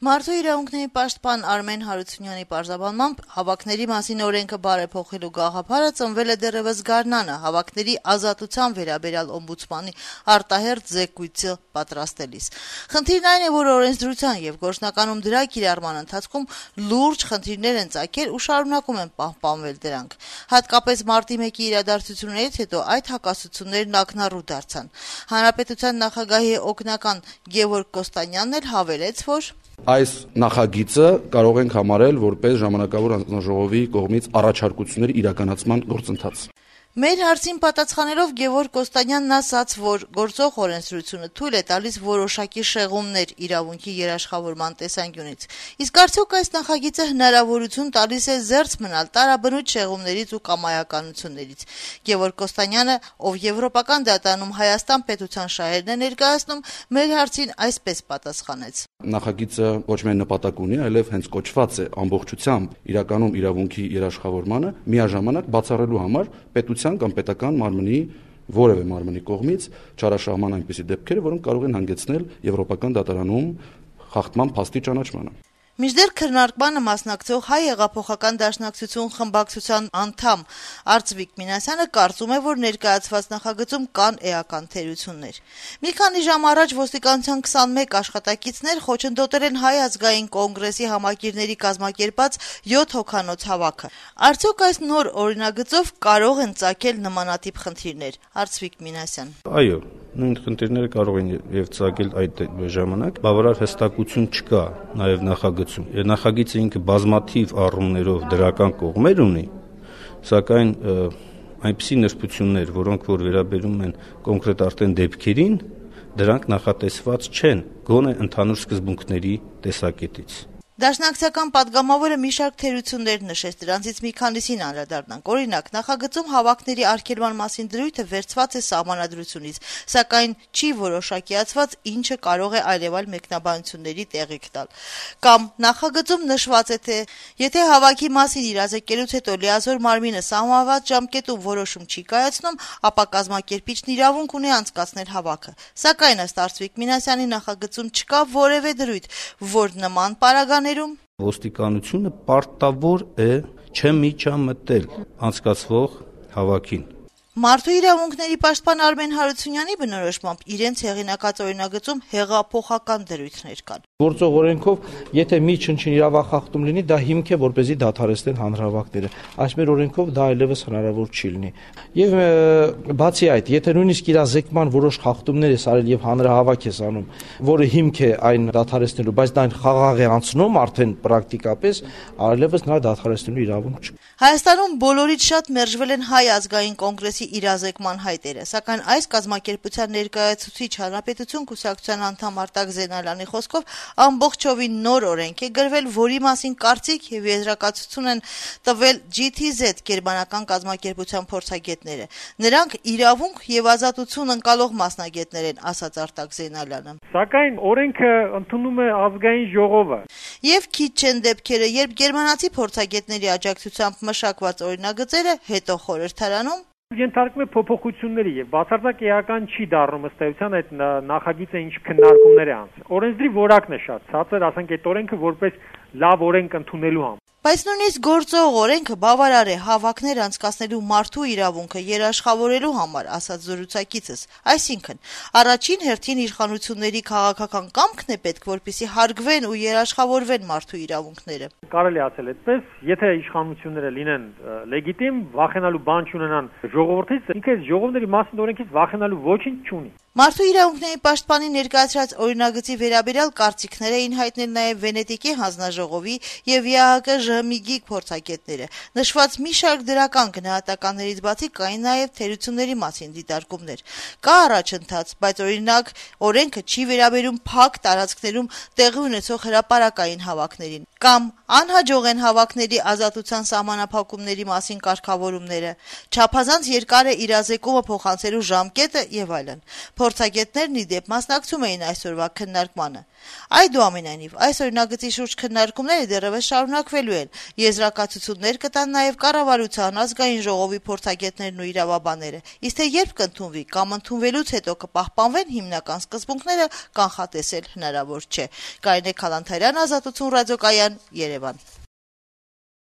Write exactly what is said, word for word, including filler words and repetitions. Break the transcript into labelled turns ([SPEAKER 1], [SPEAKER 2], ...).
[SPEAKER 1] Մարդու իրավունքների պաշտպան Արմեն Հարությունյանի պարզաբանմամբ հավաքների մասին օրենքը բարեփոխելու գաղափարը ծնվել է դեռևս գարնանը հավաքների ազատության վերաբերյալ օմբուդսմանի արտահերթ զեկույցը պատրաստելիս։ Խնդիրն այն է, որ օրենսդրության եւ գործնականում դրա կիրառման ընթացքում լուրջ խնդիրներ են ծագել ու շարունակում են պահպանվել դրանք։ Հատկապես մարտի մեկի իրադարձություններից հետո այդ հակասություններն ակնառու դարձան։ Հանրապետության նախագահի օգնական Գևորգ Կոստանյանն էլ հավելեց, որ
[SPEAKER 2] Այս նախագիծը կարող ենք համարել որպես ժամանակավոր հանձնաժողովի կողմից առաջարկությունների իրականացման գործընթաց։
[SPEAKER 1] Մեր հարցին պատասխանելով Գևորգ Կոստանյանն ասաց, որ գործող օրենսդրությունը թույլ է տալիս որոշակի շեղումներ իրավունքի երաշխավորման տեսանկյունից։ Իսկ արդյոք այս նախագիծը հնարավորություն տալիս է զերծ մնալ տարաբնույթ շեղումներից ու կամայականություններից։ Գևորգ Կոստանյանը, ով Եվրոպական դատարանում Հայաստան պետության շահերն է ներկայացնում, մեր հարցին այսպես պատասխանեց.
[SPEAKER 2] Նախագիծը ոչ միայն նպատակ ունի, այլև հենց կոչված է ամբողջությամբ իրականում իրավունքի երաշխավորմանը միաժամանակ բացառելու համար պետության կամ պետական մարմնի որևէ մարմնի կողմից չարաշահման այնպիսի դեպքերը, որոնք կարող են հանգեցնել Եվրոպական դատարանում խախտման փաստի ճանաչմանը։
[SPEAKER 1] Մինչդեռ քննարկմանը մասնակցող Հայ հեղափոխական դաշնակցություն խմբակցության անդամ Արծվիկ Մինասյանը կարծում է, որ ներկայացված նախագծում կան էական թերություններ։ Մի քանի ժամ առաջ ոստիկանության քսանմեկ աշխատակիցներ խոչընդոտել են Հայ ազգային կոնգրեսի համակիրների կազմակերպած յոթ հոգանոց հավաքը։ Արդյոք այս նոր օրինագծով կարող են ծագել նմանատիպ խնդիրներ։ Արծվիկ Մինասյան.
[SPEAKER 3] Այո, նույն խնդիրները կարող են եւ ծագել այդ ժամանակ, բավարար հստակություն չկա նաեւ նախագծում։ Նախագիծը ինքը բազմաթիվ առումներով դրական կողմեր ունի, սակայն այնպիսի նրբություններ, որոնք որ վերաբերում են կոնկրետ արդեն դեպքերին, դրանք նախատեսված չեն գոնե ընդհանուր սկզբունքների տեսակետից։
[SPEAKER 1] Դաշնակցական պատգամավորը մի շարք թերություններ նշեց, դրանցից մի քանիսին անդրադառնանք։ Օրինակ, նախագծում հավաքների արգելման մասին դրույթը վերցված է սահմանադրությունից, սակայն չի որոշակիացված, ինչը կարող է այլևալ մեկնաբանությունների տեղիք տալ։ Կամ նախագծում նշված է, թե եթե հավաքի մասին իրազեկելուց հետո լիազոր մարմինը սահմանված ժամկետում որոշում չի կայացնում, ապա կազմակերպիչն իրավունք ունի անցկացնել հավաքը։ Սակայն ըստ Արծվիկ Մինասյանի նախագծում չկա որևէ դրույթ, որ նման պարագան
[SPEAKER 3] Ոստիկանությունը պարտավոր է չմիջամտել անցկացվող հավաքին։
[SPEAKER 1] Մարդու իրավունքների պաշտպան Արմեն Հարությունյանի բնորոշմամբ իրենց հեղինակած օրինագծում հեղափոխական դրույթներ կան։
[SPEAKER 4] Գործող օրենքով, եթե մի չնչին իրավախախտում լինի, դա հիմք է, որպեսզի դադարեցնեն հանրահավաքները։ Այս մեր օրենքով դա այլևս հնարավոր չի լինի։ Եվ բացի այդ, եթե նույնիսկ իրազեկման որոշ խախտումներ ես արել եւ հանրահավաք ես անում, որը հիմք է այն դադարեցնելու, բայց դա այն խաղաղ է անցնում արդեն պրակտիկապես, այլևս նա դադարեցնելու իրավունք չկա։
[SPEAKER 1] Հայաստանում բոլորից շատ մերժվել են Հայ ազգային կոնգրեսի իրազեկման հայտերը, սակայն այս կազմակերպության ներկայացուցիչ Հանրապետություն կուսակցության անդամ Արտակ Զենալյանի խոսքով ամբողջովին նոր օրենք է գրվել, որի մասին կարծիք եւ եզրակացություն են տվել Ջի Թի Զեդ գերմանական կազմակերպության փորձագետները։ Նրանք իրավունք եւ ազատություն ընկալող մասնագետներ են, ասաց Արտակ Զենալյանը։
[SPEAKER 5] Սակայն օրենքը ընդունում է ազգային ժողովը։
[SPEAKER 1] Եվ քիչ չեն դեպքերը, երբ գերմանացի փորձագետների աջակցությամբ մշակված օրինագծերը հետո խորհրդարանում
[SPEAKER 5] Ենթարկվում է փոփոխությունների եւ բացարձակ էական չի դառնում ըստ էության այդ նախագիծը ինչ քննարկումներ է անցել։ Օրենսդրի որակն է շատ ցածր, ասենք այդ օրենքը որպես լավ օրենք ընդունելու համար։
[SPEAKER 1] Բայց նույնիսկ գործող օրենքը բավարար է հավաքներ անցկացնելու մարդու իրավունքը երաշխավորելու համար, ասաց զրուցակիցս։ Այսինքն, առաջին հերթին իշխանությունների քաղաքական կամքն է պետք, որպեսզի հարգվեն ու երաշխավորվեն մարդու իրավունքները։
[SPEAKER 5] Կարելի է ասել այդպես, եթե իշխանությունները լինեն լեգիտիմ, վախենալու բան չունենան ժողովրդից, ինքը ժողովների մասին օրենքից վախենալու ոչինչ չունի։
[SPEAKER 1] Մարդու իրավունքների պաշտպանի ներկայացրած օրինագծի վերաբերյալ կարծիքներ էին հայտնել նաև Վենետիկի հանձնաժողովի եւ Ե Հ Կ Ժ Միգի փորձագետները։ Նշված մի շարք դրական գնահատականներից բացի կային նաև թերությունների մասին դիտարկումներ։ Կա առաջընթաց, բայց օրինակ օրենքը չի վերաբերում փակ տարածքներում տեղի ունեցող հրապարակային հավաքներին։ Կամ անհաջող են հավաքների ազատության սահմանափակումների մասին կարգավորումները, չափազանց երկար է իրազեկումը փոխանցելու ժամկետը եւ այլն։ Փորձագետներն ի դեպ մասնակցում էին այսօրվա քննարկմանը։ Այդուամենայնիվ, այս օրինագծի շուրջ քննարկումները դեռևս շարունակվելու են։ Եզրակացություններ կտան նաեւ կառավարության, ազգային ժողովի փորձագետներն ու իրավաբանները։ Իսկ թե երբ կընդունվի կամ ընդունվելուց հետո կպահպանվեն հիմնական սկզբունքները, կանխատեսել հնարավոր չէ։ Կարինե Քալանթարյան, Ազատություն ռադիոկայան, Երևան։